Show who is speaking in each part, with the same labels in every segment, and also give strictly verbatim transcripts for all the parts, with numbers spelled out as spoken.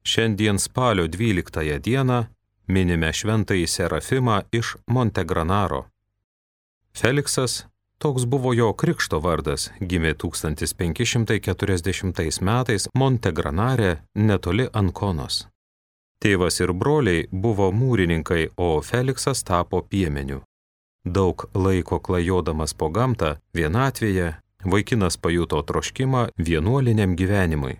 Speaker 1: Šiandien spalio dvyliktąją dieną minime šventąjį Serafimą iš Montegranaro. Feliksas, toks buvo jo krikšto vardas, gimė tūkstantis penki šimtai keturiasdešimtais metais Montegranare netoli Ankonos. Tėvas ir broliai buvo mūrininkai, o Feliksas tapo piemeniu. Daug laiko klajodamas po gamtą, vienatvėje, vaikinas pajuto troškimą vienuoliniam gyvenimui.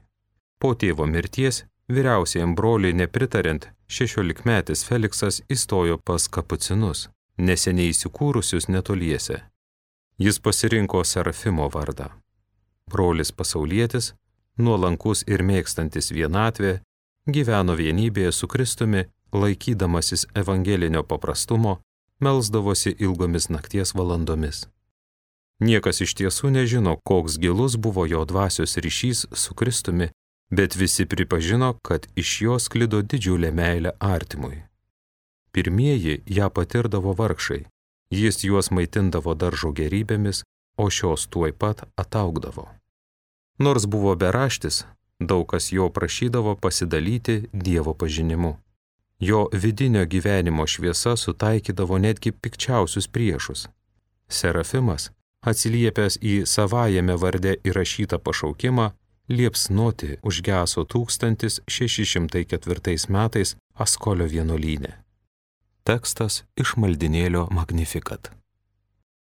Speaker 1: Po tėvo mirties, vyriausiajam broliui nepritariant, šešiolikmetis Feliksas įstojo pas kapucinus, neseniai įsikūrusius netoliese. Jis pasirinko Serafimo vardą. Brolis pasaulietis, nuolankus ir mėgstantis vienatvę, gyveno vienybėje su Kristumi, laikydamasis evangelinio paprastumo, melsdavosi ilgomis nakties valandomis. Niekas iš tiesų nežino, koks gilus buvo jo dvasios ryšys su Kristumi, bet visi pripažino, kad iš jo sklido didžiulė meilė artimui. Pirmieji ją patirdavo vargšai, jis juos maitindavo daržo gerybėmis, o šios tuoj pat ataugdavo. Nors buvo beraštis, daug kas jo prašydavo pasidalyti Dievo pažinimu. Jo vidinio gyvenimo šviesa sutaikydavo netgi pikčiausius priešus. Serafimas, atsiliepęs į savajame varde įrašytą pašaukimą, liepsnoti užgeso tūkstantis šeši šimtai ketvirtais metais Askolio vienuolyne. Tekstas iš maldynėlio Magnificat.